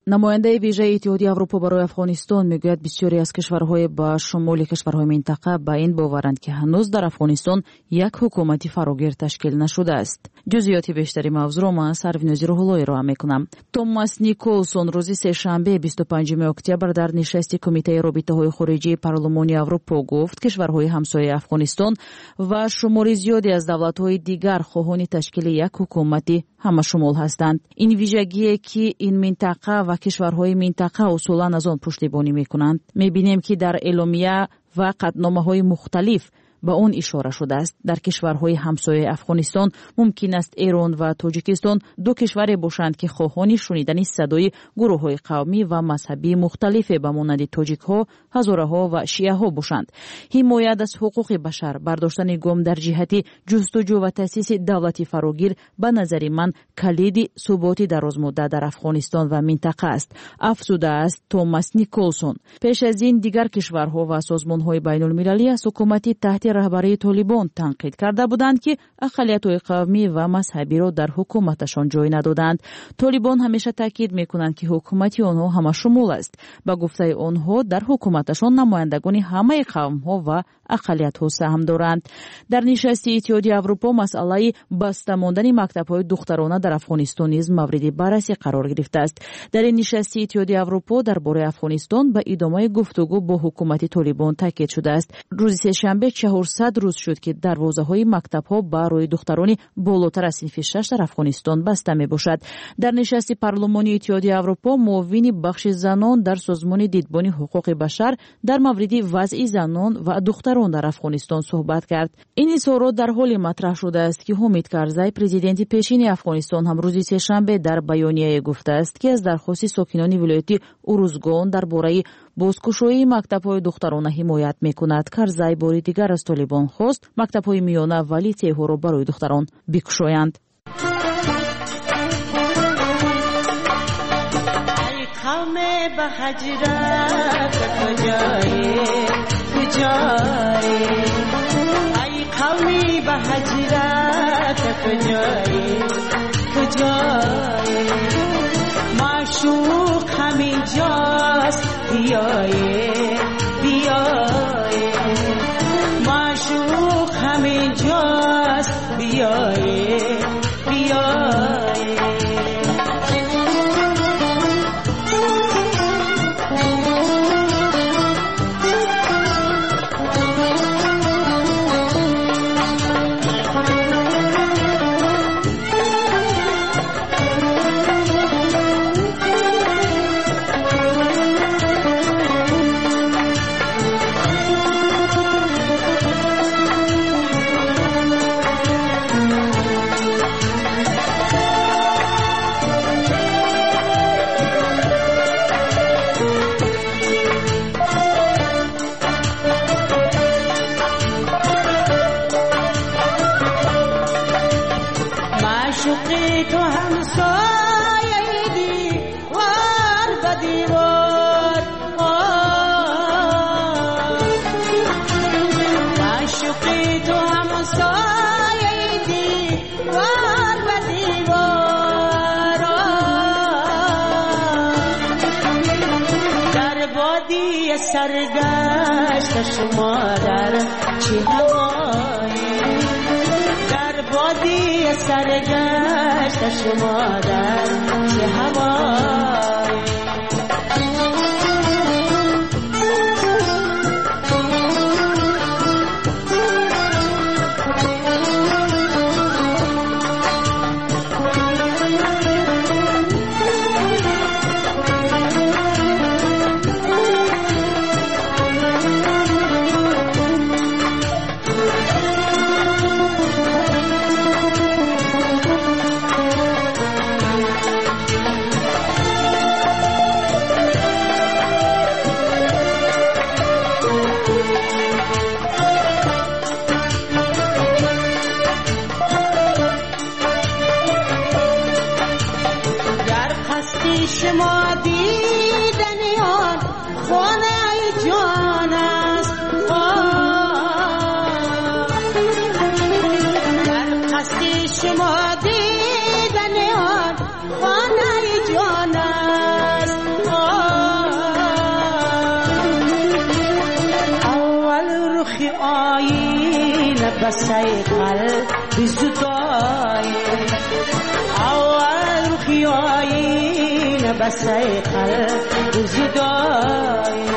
Намояндаи вижаи Иттиҳоди Аврупо барои Афғонистон мегӯяд, бисёре аз кишварҳои ба шумули кишварҳои минтақа ба ин боваранд, ки ҳанӯз дар Афғонистон як ҳукумати фарогир ташкил нашудааст. Ҷузъиёти бештари мавзӯъро ман Сарвинози Рӯҳулло ироа мекунам. Томас Николсон рӯзи сешанбе 25 октябр дар нишасти Кумитаи робитаҳои хориҷии Парлумони Аврупо гуфт, кишварҳои ҳамсояи Афғонистон ва шумори зиёде аз давлатҳои дигар хоҳони ташкили як ҳукумати ҳамашумул ҳастанд. Ин вижагие, ки ин минтақа ва кишварҳои минтақа усулан аз он пуштибонӣ мекунанд. Мебинем, ки дар эъломия ва қатъномаҳои мухталиф ба он ишора шудааст. Дар кишварҳои ҳамсояи Афғонистон мумкин аст Эрон ва Тоҷикистон ду кишваре бошанд, ки хоҳони шунидани садои гурӯҳҳои қавмӣ ва мазҳабии мухталифе ба монанди тоҷикҳо, ҳазораҳо ва шиаҳо бошанд. Ҳимоят аз ҳуқуқи башар, бардоштани гом дар ҷиҳати ҷустуҷӯ ва таъсиси давлати фарогир ба назари ман калиди суботи дарозмуддат дар Афғонистон ва минтақа аст, афзудааст Томас Николсон. Пеш аз ин дигар кишварҳо ва созмонҳои байнулмилалӣ аз ҳукумати таҳти раҳбарии Толибон танқид карда буданд, ки ақаллиятҳои қавмӣ ва мазҳабиро дар ҳукуматашон ҷой надоданд. Толибон ҳамеша таъкид мекунанд, ки ҳукумати онҳо ҳамашумул аст. Ба гуфтаи онҳо, дар ҳукуматашон намояндагони ҳамаи қавмҳо ва ақаллиятҳо саҳм доранд. Дар нишасти Иттиҳоди Аврупо масъалаи баста мондани мактабҳои духтарона дар Афғонистон низ мавриди баррасӣ қарор гирифтааст. Дар ин нишасти Иттиҳоди Аврупо дар бораи Афғонистон ба идомаи гуфтугӯ бо ҳукумати Толибон таъкид шудааст. Рӯзи сешанбе 400 рӯз шуд, ки дарвозаҳои мактабҳо барои духтарони болотар аз синфи шаш дар Афғонистон баста мебошад. Дар нишасти парлумони Иттиҳоди Аврупо муовини бахши занон дар созмони Дидбони ҳуқуқи башар дар мавриди вазъи занон ва духтарон дар Афғонистон суҳбат кард. Ин изҳорот дар ҳоле матраҳ шудааст, ки Ҳомид Карзай, президенти пешини Афғонистон, ҳам рӯзи сешанбе дар баёнияе гуфтааст, ки аз дархости сокинони вилояти Урузгон дар бораи бозкушоии мактабҳои духтарона ҳимоят мекунад. Карзай бори дигар аз Толибон хост мактабҳои миёна ва литсейҳоро барои духтарон бикушоянд. معشوق همینجاست، بیایه بیایه، معشوق همینجاست، بیایه بیایه. سرگشت شما در چه هوایی، در وادی سرگشت شما در چه هوایی. شما دیدن آن خانه جان است، در قصد شما دیدن آن خانه جان است. بسای قلب زدای اول روخی آینه بسای قلب زدای.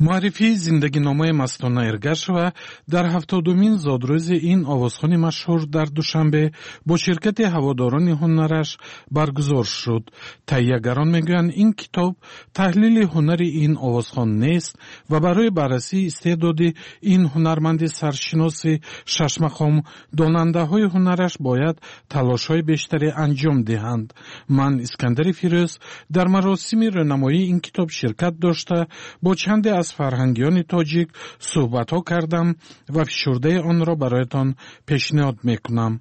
Муаррифии зиндагиномаи Мастона Эргашева дар 70-умин зодрӯзи ин овозхони машҳур дар Душанбе бо ширкати ҳаводорони ҳунараш баргузор шуд. Таҳиягарон мегӯянд, ин китоб таҳлили ҳунари ин овозхон нест ва барои баррасии истеъдоди ин ҳунарманди саршиноси шашмақом донандаҳои ҳунараш бояд талошҳои бештаре анҷом диҳанд. Ман, Искандари Фирӯз, дар маросими рӯнамоии ин китоб ширкат дошта, бо чанде аз фарҳангиёни тоҷик суҳбатҳо кардам ва фишурдаи онро бароятон пешниҳод мекунам.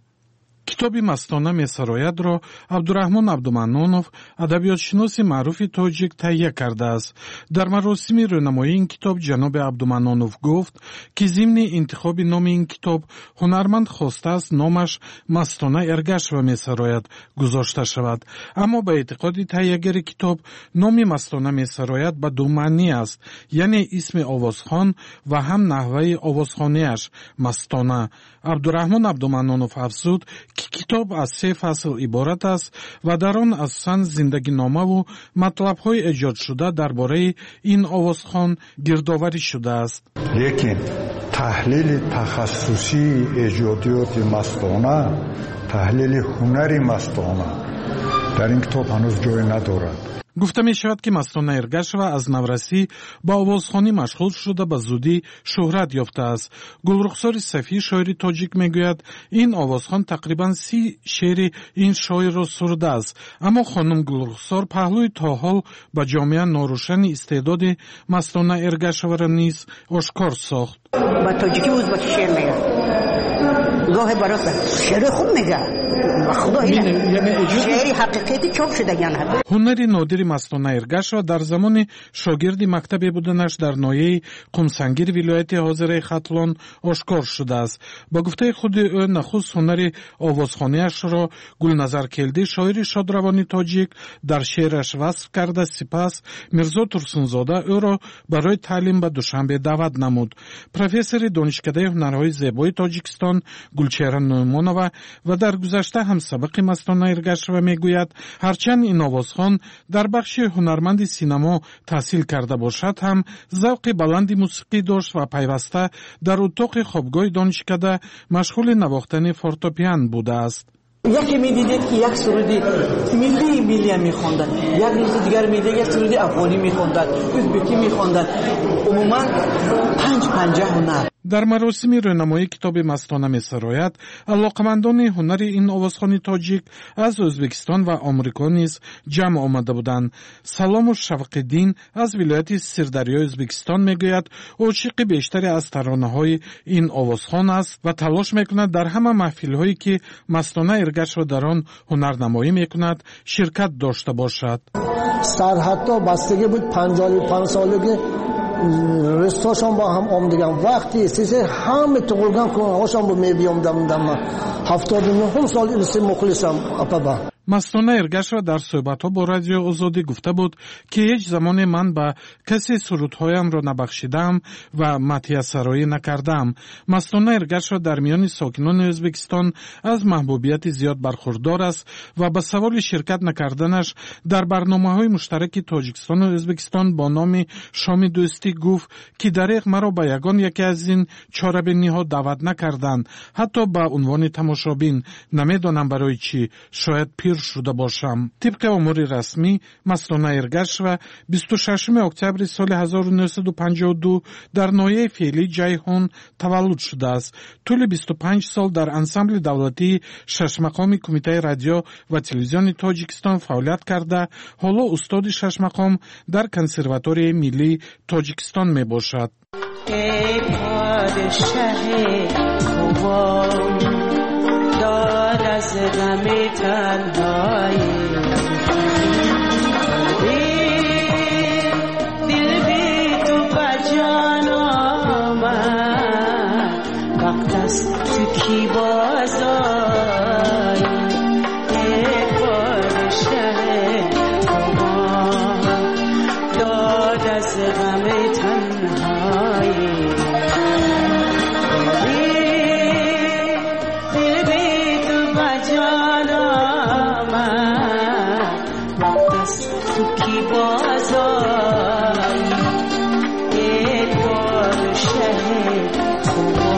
Китоби «Мастона месароядро» Абдураҳмон Абдуманнонов, адабиётшиноси маъруфи тоҷик, таҳия кардааст. Дар маросими рӯнамоии ин китоб ҷаноби Абдуманнонов гуфт, ки зимни интихоби номи ин китоб ҳунарманд хостааст номаш «Мастона Эргашева месарояд» гузошта шавад, аммо ба эътиқоди таҳиягари китоб номи «Мастона месарояд» ба ду маънӣ аст, яъне исми овозхон ва ҳам наҳваи овозхониаш мастона. Абдураҳмон Абдуманнонов афзуд, ки китоб аз се фасл иборат аст ва дар он асосан зиндагиномаву матлабҳои эҷодшуда дар бораи ин овозхон гирдоварӣ шудааст. Лекин таҳлили тахассусии эҷодиёти Мастона, таҳлили ҳунари Мастона дар ин китоб ҳанӯз ҷой надорад. Гуфта мешавад, ки Мастона Эргашева аз наврасӣ ба овозхонӣ машғул шуда, ба зудӣ шӯҳрат ёфтааст. Гулрухсори Сафӣ, шоири тоҷик, мегӯяд, ин овозхон тақрибан 30 шеъри ин шоирро сурудааст. Аммо хонум Гулрухсор паҳлӯи то ҳол ба ҷомеа норӯшани истеъдоди Мастона Эргашеваро низ ошкор сохт. Ба тоҷикӣ, узбаки шеър мегӯяд, гоҳе барои шеъри хуб мегӯяд. Шеъри ҳақиқати чоп шудагиан. Ҳунари нодири Мастона Эргашева дар замони шогирди мактабе буданаш дар ноҳияи Қумсангир, вилояти ҳозираи Хатлон, ошкор шудааст. Ба гуфтаи худи ӯ, нахуст ҳунари овозхониашро Гулназар Келдӣ, шоири шодравони тоҷик, дар шеъраш васф карда, сипас Мирзо Турсунзода ӯро барои таълим ба Душанбе даъват намуд. Профессори Донишкадаи ҳунарҳои зебои Тоҷикистон Гулчеҳра Нуъмонова ва дар гузашта ҳамсабақи Мастона Эргашева мегӯяд, ҳарчанд ин овозхон дар бахши ҳунарманди синамо таҳсил карда бошад ҳам, завқи баланди мусиқӣ дошт ва пайваста дар утоқи хобгоҳи донишкада машғули навохтани фортопиан будааст. Яке медидед, ки як суруди миллии миллия мехондад, як рӯзи дигар медидед, як суруди афғонӣ мехондад, узбекӣ мехондад, умуман панҷ панҷа ҳунар. Дар маросими рӯнамоии китоби «Мастона месарояд» алоқамандони ҳунари ин овозхони тоҷик аз Ӯзбекистон ва Омрико низ ҷамъ омада буданд. Салому Шавқиддин аз вилояти Сирдарёи Ӯзбекистон мегӯяд, ошиқи бештаре аз таронаҳои ин овозхон аст ва талош мекунад дар ҳама маҳфилҳое, ки Мастона Эргашева дар он ҳунарнамоӣ мекунад, ширкат дошта бошад. Сарҳадҳо бастагӣ буд, 55 солагӣ рустошон бо ҳам омдиган вақти сесе ҳама туғулган кунҳошон бо мебиёмдам. 79-ум сол илси мухлисам апаба. Мастона Эргашева дар суҳбатҳо бо Радиои Озодӣ гуфта буд, ки ҳеҷ замоне ман ба касе сурудҳоямро набахшидаам ва мадҳиясароӣ накардаам. Мастона Эргашева дар миёни сокинони Ӯзбекистон аз маҳбубияти зиёд бархурдор аст ва ба саволи ширкат накарданаш дар барномаҳои муштараки Тоҷикистону Ӯзбекистон бо номи «Шоми дӯстӣ» гуфт, ки дареғ, маро ба ягон яке аз ин чорабиниҳо даъват накарданд, ҳатто ба унвони тамошобин. Намедонам барои чӣ, шояд пир шуда бошам. Тибқи омори расмӣ, Мастона Эргашева 26 октябри соли 1952 дар ноҳияи феълии Ҷайҳун таваллуд шудааст. Тӯли 25 сол дар Ансамбли давлатии шашмақоми Кумитаи радио ва телевизиони Тоҷикистон фаъолият карда, ҳоло устоди шашмақом дар Консерваторияи миллии Тоҷикистон мебошад. ای پادشه خوبان داد از غم تنهایی، دل بی تو به جان آمد، وقت است تو کی باز آیی. تو کی بازایی ای پادشه خوبان.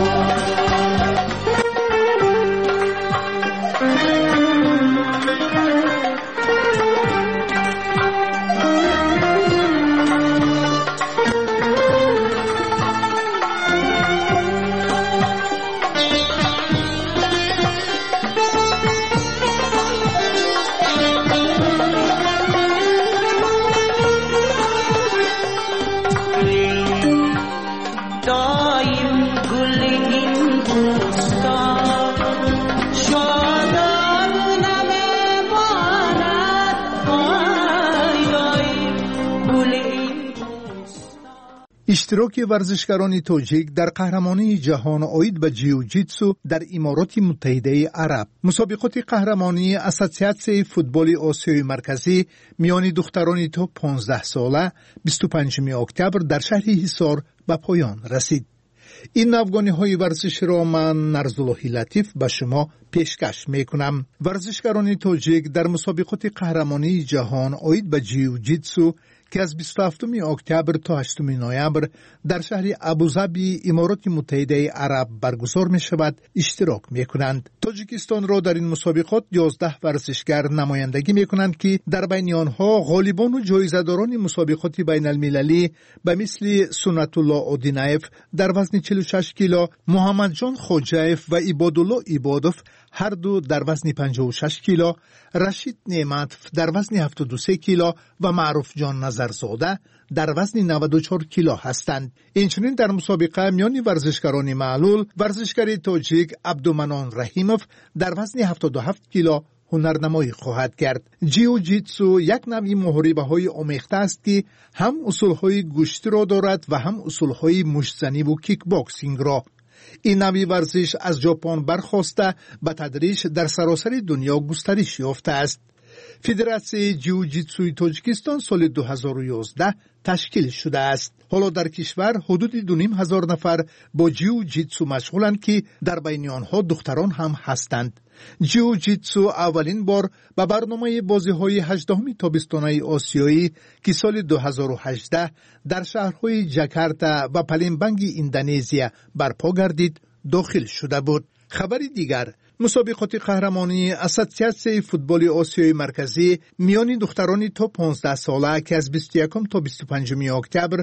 Иштироки варзишгарони тоҷик дар қаҳрамонии ҷаҳон оид ба ҷиу-ҷитсу дар Имороти Муттаҳидаи Араб. Мусобиқоти қаҳрамонии Ассотсиатсияи футболи Осиёи Марказӣ миёни духтарони то 15 сола 25 октябр дар шаҳри Ҳисор ба поён расид. Ин навгониҳои варзиширо ман, Нарзуллоҳи Латиф, ба шумо пешкаш мекунам. Варзишгарони тоҷик дар мусобиқоти қаҳрамонии ҷаҳон оид ба ҷиу-ҷитсу, ки аз 27 октябр то 8 ноябр дар шаҳри Абузабии Имороти Муттаҳидаи Араб баргузор мешавад, иштирок мекунанд. Тоҷикистонро дар ин мусобиқот 11 варзишгар намояндагӣ мекунанд, ки дар байни онҳо ғолибону ҷоизадорони мусобиқоти байналмилалӣ ба мисли Суннатулло Одинаев дар вазни 46 кило, Муҳаммадҷон Хоҷаев ва Ибодулло Ибодов ҳарду дар вазни 56 кило, Рашид Неъматов дар вазни 73 кило ва Маъруфҷон Назарзода дар вазни 94 кило ҳастанд. Инчунин дар мусобиқа миёни варзишгарони маълул варзишгари тоҷик Абдуманон Раҳимов дар вазни 77 кило ҳунарнамоӣ хоҳад кард. Ҷиу-ҷитсу як навъи муҳорибаҳои омехта аст, ки ҳам усулҳои гӯштиро дорад ва ҳам усулҳои муштзаниву кикбоксингро. Ин навъи варзиш аз Ҷопон бархоста, ба тадриҷ дар саросари дунё густариш ёфтааст. Федератсияи ҷиу-ҷитсуи Тоҷикистон соли 2011 ташкил шудааст. Ҳоло дар кишвар ҳудуди 2500 нафар бо ҷиу-ҷитсу машғуланд, ки дар байни онҳо духтарон ҳам ҳастанд. Ҷиу-ҷитсу аввалин бор ба барномаи бозиҳои 18-уми тобистонаи Осиёӣ, ки соли 2018 дар шаҳрҳои Ҷакарта ва Палембанги Индонезия барпо гардид, дохил шуда буд. Хабари дигар: мусобиқоти қаҳрамонии Ассотсиатсияи футболи Осиёи Марказӣ миёни духтарони то 15 сола, ки аз 21 то 25 октябр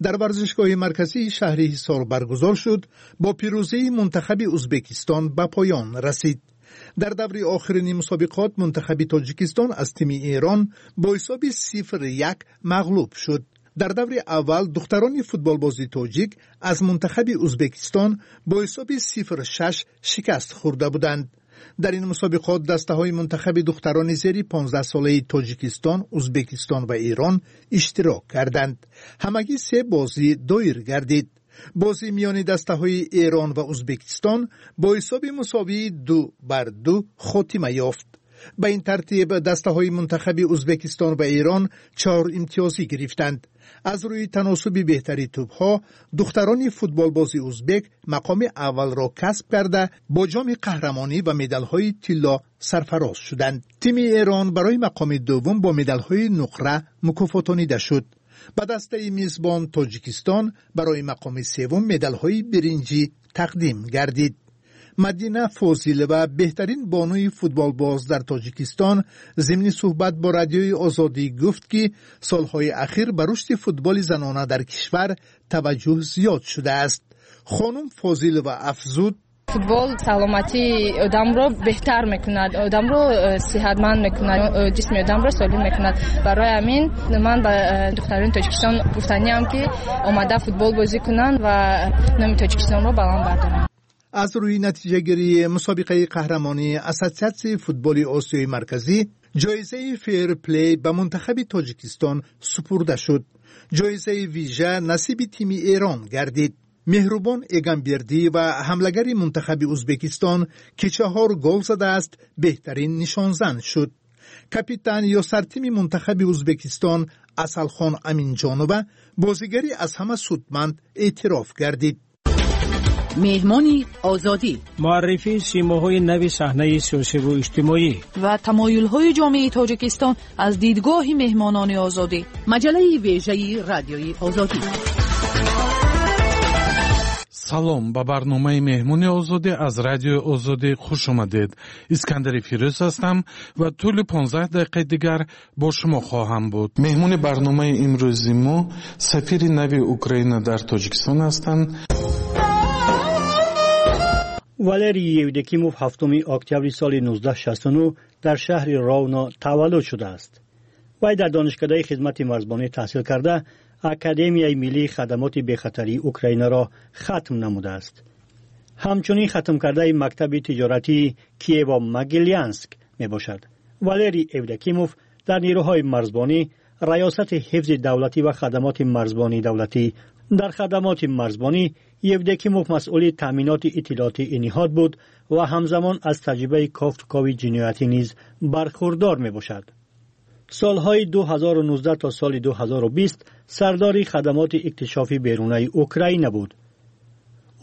дар варзишгоҳи марказии шаҳри Ҳисор баргузор шуд, бо пирӯзии мунтахаби Узбекистон ба поён расид. Дар даври охирини мусобиқот мунтахаби Тоҷикистон аз тими Эрон бо ҳисоби 0-1 мағлуб шуд. Дар даври аввал духтарони футболбози тоҷик аз мунтахаби Узбекистон бо ҳисоби 0-6 шикаст хӯрда буданд. Дар ин мусобиқот дастаҳои мунтахаби духтарони зери 15 солаи Тоҷикистон, Узбекистон ва Эрон иштирок карданд. Ҳамагӣ се бозӣ доир гардид. Бозӣ миёни дастаҳои Эрон ва Узбекистон бо ҳисоби мусовии 2-2 хотима ёфт. Ба ин тартиб дастаҳои мунтахаби Узбекистон ва Эрон 4 имтиёзӣ гирифтанд. Аз рӯи таносуби беҳтари тӯбҳо духтарони футболбози узбек мақоми аввалро касб карда, бо ҷоми қаҳрамонӣ ва медалҳои тилло сарфароз шуданд. Тими Эрон барои мақоми дуввум бо медалҳои нуқра мукофотонида шуд. Ба дастаи мизбон Тоҷикистон барои мақоми севум медалҳои биринҷӣ тақдим гардид. Мадина Фозилова, беҳтарин бонуи футболбоз дар Тоҷикистон, зимни суҳбат бо Радиои Озодӣ гуфт, ки солҳои ахир ба рушди футболи занона дар кишвар таваҷҷӯҳ зиёд шудааст. Хонум Фозилова афзуд: Футбол саломатии одамро беҳтар мекунад, одамро сиҳатманд мекунад, ҷисми одамро солим мекунад. Барои ҳамин ман ба духтарони Тоҷикистон гуфтаниам, ки омада футбол бозӣ кунанд ва номи Тоҷикистонро баланд бардоранд. Аз рӯи натиҷагирии мусобиқаи қаҳрамонии Ассотсиатсияи футболи Осиёи Марказӣ ҷоизаи фейрплей ба мунтахаби Тоҷикистон супурда шуд. Ҷоизаи вижа насиби тими Эрон гардид. Меҳрубон Эгамбердиева, ҳамлагари мунтахаби Узбекистон, ки 4 гол задааст, беҳтарин нишонзан шуд. Капитан ё сартими мунтахаби Узбекистон Асалхон Аминҷонова бозигари аз ҳама судманд эътироф гардид. Меҳмони Озодӣ. Муаррифии симоҳои нави саҳнаи сиёсиву иҷтимоӣ ва тамоюлҳои ҷомеаи Тоҷикистон аз дидгоҳи меҳмонони Озодӣ. Маҷаллаи вежаи Радиои Озодӣ. Салом, ба барномаи Меҳмони Озодӣ аз Радиои Озодӣ хуш омадед. Искандари Фирӯз ҳастам ва тӯли 15 дақиқаи дигар бо шумо хоҳам буд. Меҳмони барномаи имрӯзи мо сафири нави Украина дар Тоҷикистон ҳастанд. Валерий Евдокимов 7 октябри соли 1969 дар шаҳри Ровно таваллуд шудааст. Вай дар Донишкадаи хизмати марзбонӣ таҳсил карда, Академияи миллии хадамоти бехатарии Украинаро хатм намудааст. Ҳамчунин хатмкардаи мактаби тиҷоратии Киево-Могилянск мебошад. Валерий Евдокимов дар нерӯҳои марзбонӣ, Раёсати ҳифзи давлатӣ ва хадамоти марзбонии давлатӣ. Дар хадамоти марзбонӣ Евдокимов масъули таъминоти иттилоотии ин ниҳод буд ва ҳамзамон аз таҷрибаи кофтукови ҷиноятӣ низ бархурдор мебошад. Солҳои 2019 то соли 2020 сардори хадамоти иктишофи берунаи Украина буд.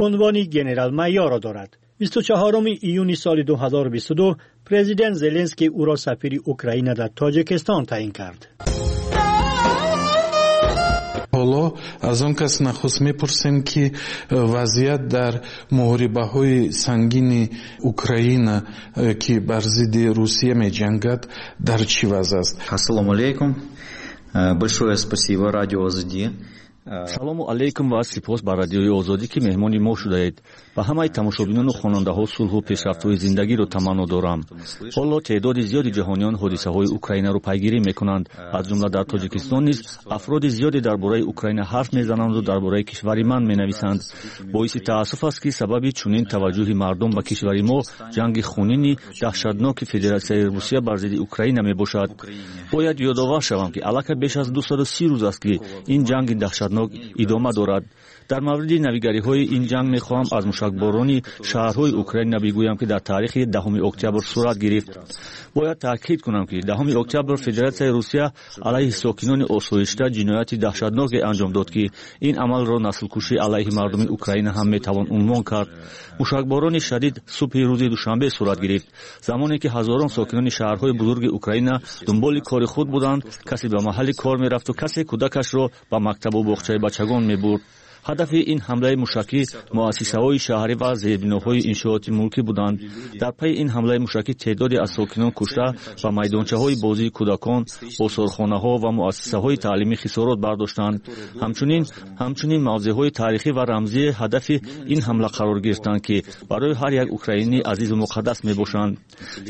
Унвони генерал-майорро дорад. 24 июни соли 2022 президент Зеленский ӯро сафири Украина дар Тоҷикистон таъин кард. Ҳоло аз он кас нахуст мепурсем, ки вазъият дар муҳорибаҳои сангини Украина, ки бар зидди Русия меҷангад, дар чӣ вазъ аст. Ассалому алайкум. Большое спасибо радио Озодӣ. Салому алайкум ва сипос ба Радиои Озодӣ, ки меҳмони мо шудаед. Ба ҳамаи тамошобинону хонандаҳо сулҳу пешрафтҳои зиндагиро таманно дорам. Ҳоло теъдоди зиёди ҷаҳониён ҳодисаҳои Украинаро пайгирӣ мекунанд. Аз ҷумла дар Тоҷикистон низ афроди зиёде дар бораи Украина ҳарф мезананду дар бораи кишвари ман менависанд. Боиси таассуф аст, ки сабаби чунин таваҷҷӯҳи мардум ба кишвари мо ҷанги хунини даҳшатноки Федератсияи Русия бар зидди Украина мебошад. Бояд ёдовар шавам, ки аллакай беш аз 230 рӯз аст, ки ин ҷанги даҳшатнок идома дорад. Дар мавриди навигариҳои ин ҷанг мехоҳам аз мушакборони шаҳрҳои Украина бигӯям, ки дар таърихи 10 октябр сурат гирифт. Бояд таъкид кунам, ки 10 октябр Федератсияи Русия алайҳи сокинони осоишта ҷинояти даҳшатноке анҷом дод, ки ин амалро наслкушӣ алайҳи мардуми Украина ҳам метавон унвон кард. Мушакборони шадид субҳи рӯзи душанбе сурат гирифт, замоне ки ҳазорон сокинони шаҳрҳои бузурги Украина дунболи кори худ буданд. Касе ба маҳалли кор мерафту касе кӯдакашро ба мактабу боғчаи бачагон мебурд. Ҳадафи ин ҳамлаи мушакӣ муассисаҳои шаҳрӣ ва зербиноҳои иншооти мулкӣ буданд. Дар пайи ин ҳамлаи мушакӣ теъдоде аз сокинон кушта ва майдончаҳои бозии кӯдакон, осорхонаҳо ва муассисаҳои таълимӣ хисорот бардоштанд. Ҳамчунин мавзеъҳои таърихӣ ва рамзии ҳадафи ин ҳамла қарор гирифтанд, ки барои ҳар як украинӣ азизу муқаддас мебошанд.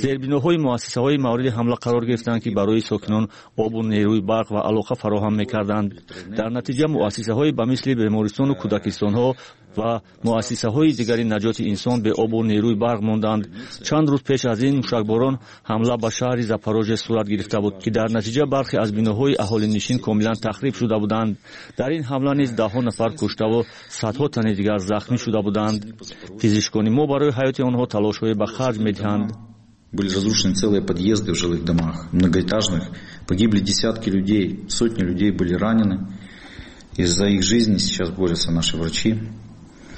Зербиноҳои муассисаҳои мавриди ҳамла қарор гирифтанд, ки барои сокинон обу нерӯи барқ ва алоқа фароҳам мекарданд. Дар натиҷа муассисаҳои ба мисли бемористону кӯдакистонҳо ва муассисаҳои дигари наҷоти инсон беобу нерӯи барқ монданд. Чанд рӯз пеш аз ин мушакборон ҳамла ба шаҳри Запорожье сурат гирифта буд, ки дар натиҷа бархе аз биноҳои аҳолинишин комилан тахриб шуда буданд. Дар ин ҳамла низ даҳҳо нафар куштаву садҳо тани дигар захмӣ шуда буданд. Пизишкони мо барои ҳаёти онҳо талошҳое ба харҷ медиҳанд. Были разрушены целые подъезды в жилых домах, многоэтажных. Погибли десятки людей, сотни людей были ранены. И за их жизни сейчас борются наши врачи.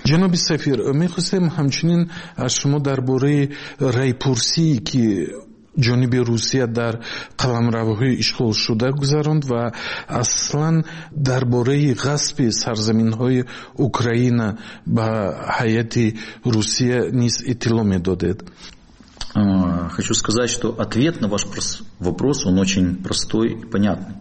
Ҷаноби сафир, мехостем ҳамчунин аз шумо дар бораи райпурсие, ки ҷониби Русия дар қаламравҳои ишғолшуда гузаронд, ва аслан дар бораи ғасби сарзаминҳои Украина ба ҳайати Русия низ иттилоъ медодед. Хочу сказать, что ответ на ваш вопрос, он очень простой и понятный.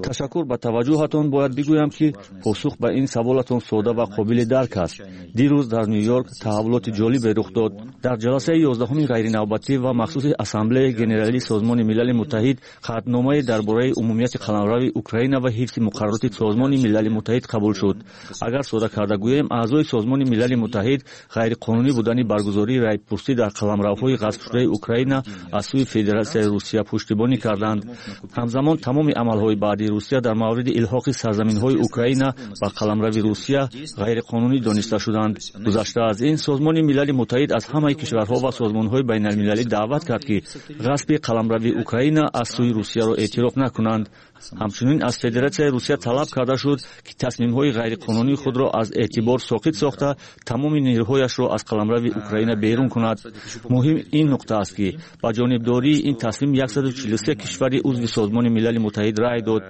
Ташаккур ба таваҷҷӯҳатон. Бояд бигӯям, ки посух ба ин саволатон сода ва қобили дарк аст. Дирӯз дар Ню-Йорк таҳаввулоти ҷолибе рух дод. Дар ҷаласаи 11-уми ғайринавбатӣ ва махсуси Ассамблеяи Генералии Созмони Милали Муттаҳид қатъномае дар бораи умумияти қаламрави Украина ва ҳифзи муқаррароти Созмони Милали Муттаҳид қабул шуд. Агар сода карда гӯем, аъзои Созмони Милали Муттаҳид ғайриқонунӣ будани баргузории райпурсӣ дар қаламравҳои ғасбшудаи Украина аз сӯи Федератсияи Русия пуштибонӣ карданд. Ҳамзамон тамоми амалҳои баъдии Русия дар мавриди илҳоқи сарзаминҳои Украина ба қаламрави Русия ғайриқонунӣ дониста шуданд. Гузашта аз ин, Созмони Милали Муттаҳид аз ҳамаи кишварҳо ва созмонҳои байналмилалӣ даъват кард, ки ғасби қаламрави Украина аз сӯи Русияро эътироф накунанд. Ҳамчунин аз Федератсияи Русия талаб карда шуд, ки тасмимҳои ғайриқонунии худро аз эътибор соқит сохта, тамоми нерӯҳояшро аз қаламрави Украина берун кунад. Муҳим ин нуқта аст, ки ба ҷонибдории ин тасмим 143 кишвари узви Созмони Милали Муттаҳид рай дод.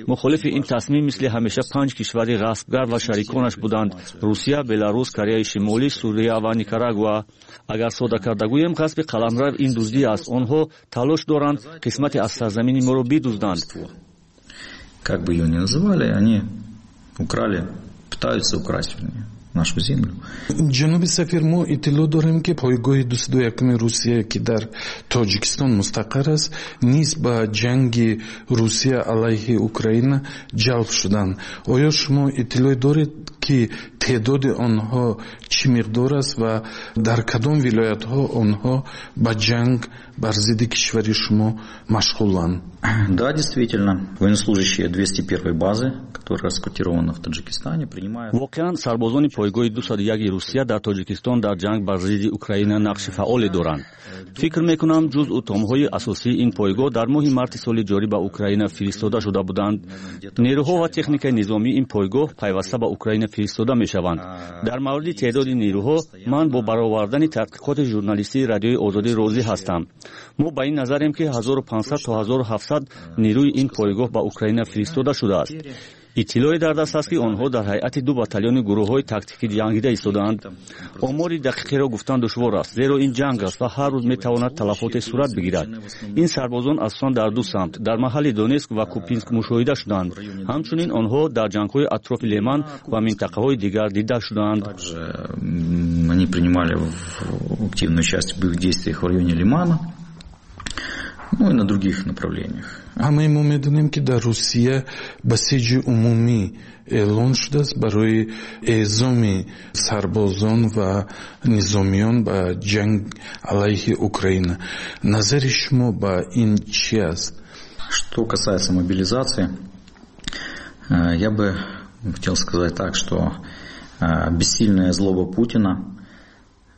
Мухолифи ин тасмим мисли ҳамеша панҷ кишвари ғасбгар ва шариконаш буданд: Русия, Беларус, Кореяи Шимолӣ, Сурия ва Никарагуа. Агар сода карда гӯем, ғасби қаламрав ин дуздӣ аст. Онҳо талош доранд қисмате аз сарзамини моро бидузданд. Как бы её ни называли, они украли, пытаются украсть, вернее, нашу землю. Ҷаноби сафир, мо иттилоъ дорем, ки пойгоҳи 201-уми Русия, ки дар Тоҷикистон мустақар аст, низ ба ҷанги Русия алайҳи Украина ҷалб шуданд. Оё шумо иттилоъ доред, ки теъдоди онҳо чӣ миқдор аст ва дар кадом вилоятҳо онҳо ба ҷанг бар зидди кишвари шумо машғуланд? Да, действительно, военнослужащие 201 базы, которая расквартирована в Таджикистане, принимают. Воқеан, сарбозони пойгоҳи 201 Русия дар Тоҷикистон дар ҷанг бар зидди Украина нақши фаъоле доранд. Фикр мекунам, ҷузъу томҳои асосии ин пойгоҳ дар моҳи марти соли ҷорӣ ба Украина фиристода шуда буданд. Нерӯҳо ва техникаи низомии ин пойгоҳ пайваста ба Украина фиристода мешаванд. Дар мавриди теъдоди нерӯҳо ман бо баровардани таҳқиқоти журналистии Радиои Озодӣ розӣ ҳастам. Мо ба ин назарем, ки 1500 то 1700 нерӯи ин пойгоҳ ба Украина фиристода шудааст. Иттилоъе дар даст аст, ки онҳо дар ҳайати ду батальони гурӯҳҳои тактикӣ ҷангида истодаанд. Омори дақиқеро гуфтан душвор аст, зеро ин ҷанг аст ва ҳар рӯз метавонад талафоте сурат бигирад. Ин сарбозон асосан дар ду самт, дар маҳалли Донецк ва Купянск, мушоҳида шуданд. Ҳамчунин онҳо дар ҷангҳои атрофи Леман ва минтақаҳои дигар дида шуданд. Они принимали активное участие в боевых действиях в районе Лимана, ну и на других направлениях. Ҳамаи мо медонем, ки дар Русия басиҷи умумӣ эълон шудааст барои эъзоми сарбозон ва низомиён ба ҷанг алайҳи Украина. Назари шумо ба ин чи аст? Что касается мобилизации, я бы хотел сказать так, что бессильная злоба Путина,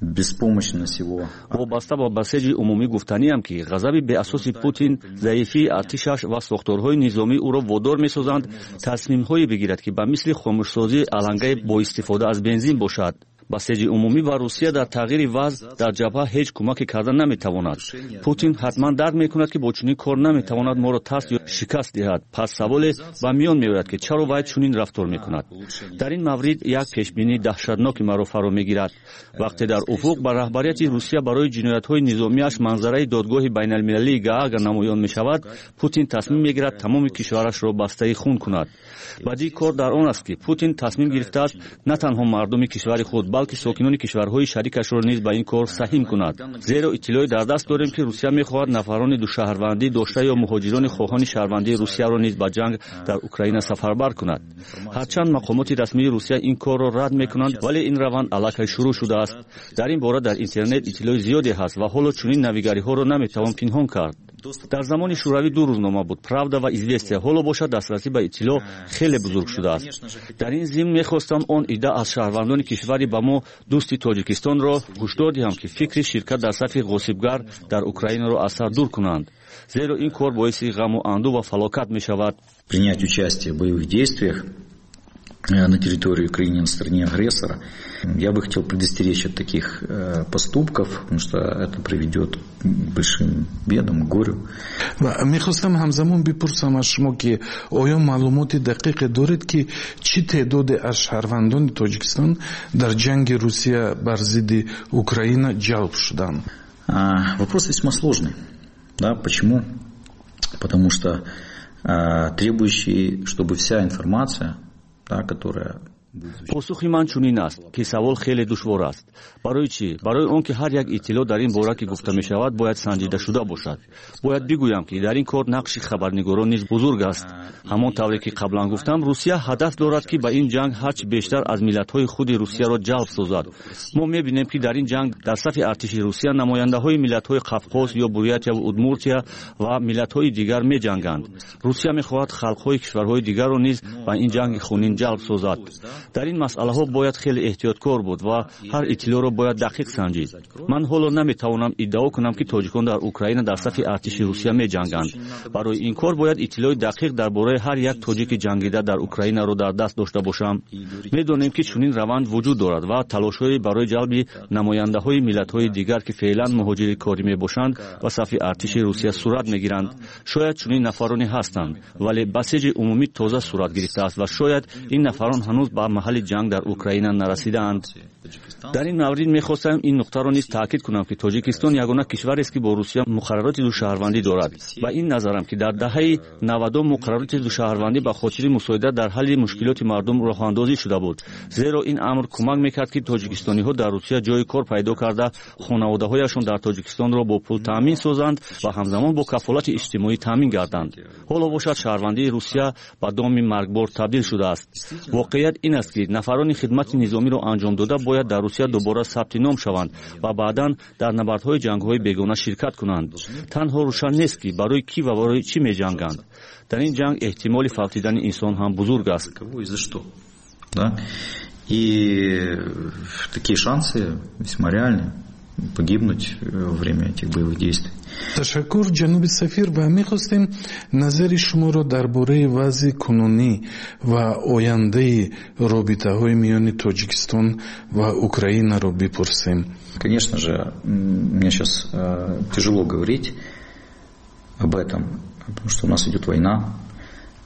беспомощность его. Вобаста ба басеҷи умумӣ гуфтаниам, ки ғазаби беасоси Путин, заифии артишаш ва сохторҳои низомӣ ӯро водор месозанд тасмимҳое бигирад, ки ба мисли хомӯшсозии алангаи бо истифода аз бензин бошад. Басеҷи умумӣ ба Русия дар тағйири вазъ дар ҷабҳа ҳеҷ кӯмаке карда наметавонад. Путин ҳатман дарк мекунад, ки бо чунин кор наметавонад моро тарс ё шикаст диҳад. Пас саволе ба миён меояд, ки чаро вай чунин рафтор мекунад. Дар ин маврид як пешбинии даҳшатноки маро фаро мегирад. Вақте дар уфуқ ба раҳбарияти Русия барои ҷиноятҳои низомиаш манзараи Додгоҳи байналмилалии Гаага намоён мешавад, Путин тасмим мегирад тамоми кишварашро бастаи хун кунад. Бадии кор дар он аст, ки Путин тасмим гирифтааст на танҳо мардуми кишвари худ, балки сокинони кишварҳои шарикашро низ ба ин кор саҳим кунад, зеро иттилоъе дар даст дорем, ки Русия мехоҳад нафарони душаҳрвандӣ дошта ё муҳоҷирони хоҳони шаҳрвандии Русияро низ ба ҷанг дар Украина сафарбар кунад. Ҳарчанд мақомоти расмии Русия ин корро рад мекунанд, вале ин раванд аллакай шурӯъ шудааст. Дар ин бора дар интернет иттилои зиёде ҳаст ва ҳоло чунин навигариҳоро наметавон пинҳон кард. Дар замони Шӯравӣ ду рӯзнома буд: Правда ва Известия. Ҳоло бошад, дастрасӣ ба иттилоъ хеле бузург шудааст. Дар ин зимн мехостам он идда аз шаҳрвандони кишвари ба мо дӯсти Тоҷикистонро ҳушдор диҳам, ки фикри ширкат дар сафи ғосибгар дар Украинаро аз сар дур кунанд, зеро ин кор боиси ғаму андӯ ва фалокат мешавад. Принять участие в боевых действиях на территории Украины на стороне агрессора. Я бы хотел предостеречь от таких поступков, потому что это приведет к большим бедам, к горю. Мехостам ҳамзамон бипурсам аз шумо, ки оё маълумоти дақиқе доред, ки чӣ теъдоде аз шаҳрвандони Тоҷикистон дар ҷанги Русия бар зидди Украина ҷалб шуданд? Вопрос весьма сложный. Да, почему? Потому что требующий, чтобы вся информация, да, которая Посухи ман чунин аст, ки савол хеле душвор аст. Барои чӣ? Барои он ки ҳар як иттилоъ дар ин бора, ки гуфта мешавад, бояд санҷида шуда бошад. Бояд бигӯям, ки дар ин кор нақши хабарнигорон низ бузург аст. Ҳамон тавре ки қаблан гуфтам, Русия ҳадаф дорад, ки ба ин ҷанг ҳарчи бештар аз миллатҳои худи Русияро ҷалб созад. Мо мебинем, ки дар ин ҷанг дар сафи артиши Русия намояндаҳои миллатҳои Қавқоз ё Бурятияву Удмуртия ва миллатҳои дигар меҷанганд. Русия мехоҳад халқҳои кишварҳои дигарро низ ба ин ҷанги хунин ҷалб созад. Дар ин масъалаҳо бояд хеле эҳтиёткор буд ва ҳар иттилоъро бояд дақиқ санҷид. Ман ҳоло наметавонам иддао кунам, ки тоҷикон дар Украина дар сафи артиши Русия меҷанганд. Барои ин кор бояд иттилои дақиқ дар бораи ҳар як тоҷики ҷангида дар Украинаро дар даст дошта бошам. Медонем, ки чунин раванд вуҷуд дорад ва талошҳое барои ҷалби намояндаҳои миллатҳои дигар, ки феълан муҳоҷири корӣ мебошанд, ба сафи артиши Русия сурат мегиранд. Шояд чунин нафароне ҳастанд, вале басиҷи умумӣ тоза сурат гирифтааст ва шояд ин нафарон ҳанӯз ба маҳалли ҷанг дар Украина нарасидаанд. Дар ин маврид мехостам ин нуқтаро низ таъкид кунам, ки Тоҷикистон ягона кишварест, ки бо Русия муқаррароти душаҳрвандӣ дорад. Ба ин назарам, ки дар даҳаи 90-ум муқаррароти душаҳрвандӣ ба хотири мусоидат дар ҳалли мушкилоти мардум роҳандозӣ шуда буд, зеро ин амр кӯмак мекард, ки тоҷикистониҳо дар Русия ҷои кор пайдо карда, хонаводаҳояшон дар Тоҷикистонро бо пул таъмин созанд ва ҳамзамон бо кафолати иҷтимоӣ таъмин гарданд. Ҳоло бошад, шаҳрвандии Русия ба доми маргбор табдил шудааст. Воқеият ин аст, ки нафарони хидмати низомиро анҷом дода бояд дар Русия дубора сабти ном шаванд ва баъдан дар набардҳои ҷангҳои бегона ширкат кунанд. Танҳо рӯшан нест, ки барои кӣ ва барои чӣ меҷанганд. Дар ин ҷанг эҳтимоли фавтидани инсон ҳам бузург аст. И такие шансы весьма реальны погибнуть во время этих боевых действий. Ташаккур, ҷаноби сафир, ва мехостем назари шуморо дар бораи вазъи кунунӣ ва ояндаи робитаҳои миёни Тоҷикистон ва Украинаро бипурсем. Конечно же, мне сейчас тяжело говорить об этом, потому что у нас идет война.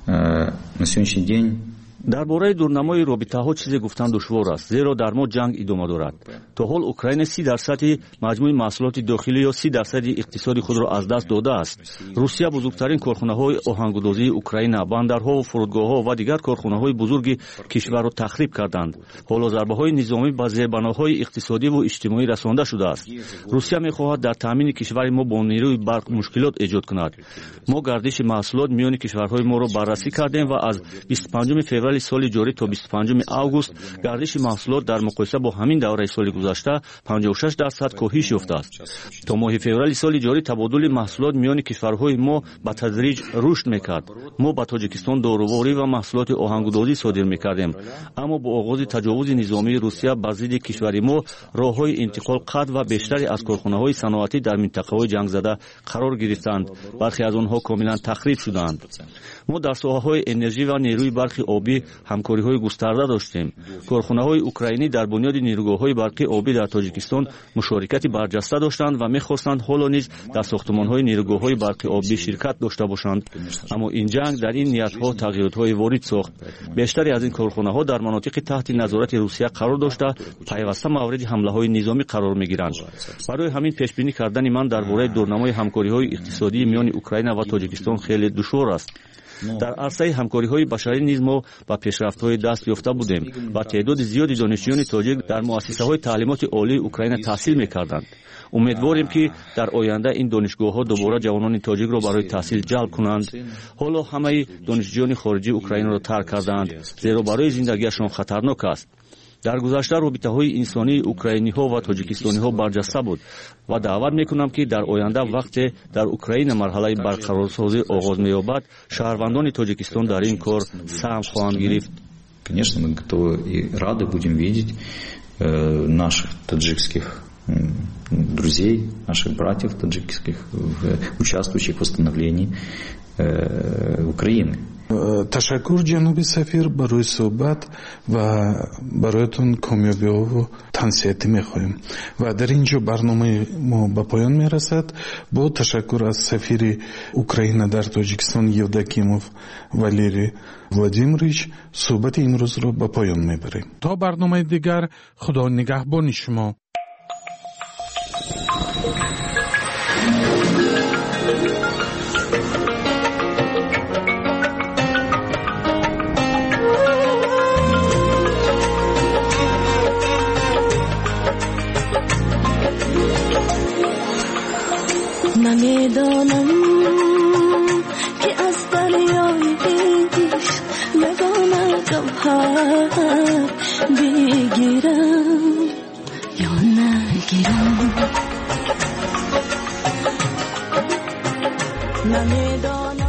На сегодняшний день Дар бораи дурнамои робитаҳо чизе гуфтан душвор аст, зеро дар мо ҷанг идома дорад. То ҳол Украина 30 дарсади маҷмӯи маҳсулоти дохилӣ ё 30 дарсади иқтисоди худро аз даст додааст. Русия бузургтарин корхонаҳои оҳангудозии Украина, бандарҳову фурудгоҳҳо ва дигар корхонаҳои бузурги кишварро тахриб карданд. Ҳоло зарбаҳои низомӣ ба зербаноҳои иқтисодиву иҷтимоӣ расонда шудааст. Русия мехоҳад дар таъмини кишвари мо бо нерӯи барқ мушкилот эҷод кунад. Мо гардиши маҳсулот миёни кишварҳои моро баррасӣ кардем ва аз 25 феврали соли ҷорӣ то 25 август гардиши маҳсулот дар муқоиса бо ҳамин давраи соли гузашта 56% коҳиш ёфтааст. То моҳи феврали соли ҷорӣ табодули маҳсулот миёни кишварҳои мо ба тадриҷ рушд мекард. Мо ба Тоҷикистон доруворӣ ва маҳсулоти оҳангудозӣ содир мекардем, аммо бо оғози таҷовузи низомии Русия бар зидди кишвари мо роҳҳои интиқол қатъ ва бештаре аз корхонаҳои саноатӣ дар минтақаҳои ҷангзада қарор гирифтанд. Бархе аз онҳо комилан тахриб шуданд. Мо дар соҳаҳои энержӣ ва нерӯи барқи обӣ ҳамкориҳои густарда доштем. Корхонаҳои украинӣ дар бунёди нерӯгоҳҳои барқи обӣ дар Тоҷикистон мушорикати барҷаста доштанд ва мехостанд ҳоло низ дар сохтумонҳои нерӯгоҳҳои барқи обӣ ширкат дошта бошанд, аммо ин ҷанг дар ин ниятҳо тағйиротҳое ворид сохт. Бештаре аз ин корхонаҳо дар манотиқи таҳти назорати Русия қарор дошта, пайваста мавриди ҳамлаҳои низомӣ қарор мегиранд. Барои ҳамин пешбинӣ кардани ман дар бораи дурнамои ҳамкориҳои иқтисодии миёни Украина ва Тоҷикистон хеле душвор аст. Дар арсаи ҳамкориҳои башарӣ низ мо ба пешрафтҳое даст ёфта будем ва теъдоди зиёди донишҷӯёни тоҷик дар муассисаҳои таълимоти олии Украина таҳсил мекарданд. Умедворем, ки дар оянда ин донишгоҳҳо дубора ҷавонони тоҷикро барои таҳсил ҷалб кунанд. Ҳоло ҳамаи донишҷӯёни хориҷӣ Украинаро тарк кардаанд, зеро барои зиндагиашон хатарнок аст. Дар гузашта робитаҳои инсонии украиниҳо ва тоҷикистониҳо барҷаста буд ва даъват мекунам, ки дар оянда, вақте дар Украина марҳалаи барқарорсозӣ оғоз меёбад, шаҳрвандони Тоҷикистон дар ин кор саҳм хоҳанд гирифт. Конечно, мы готовы и рады будем видеть наших таджикских друзей, наших братьев таджикских, участвующих в восстановлении Украины. Ташаккур, ҷаноби сафир, барои суҳбат ва бароятон комёбиҳову тансиҳатӣ мехоҳем. Ва дар ин ҷо барномаи мо ба поён мерасад. Бо ташаккур аз сафири Украина дар Тоҷикистон Евдокимов Валерий Владимирович суҳбати имрӯзро ба поён мебарем. То барномаи дигар Худо нигаҳбони шумо. Намедонам, ки аз дарёи ишқ ягона гавҳар бигирам ё нагирам. Намедонам.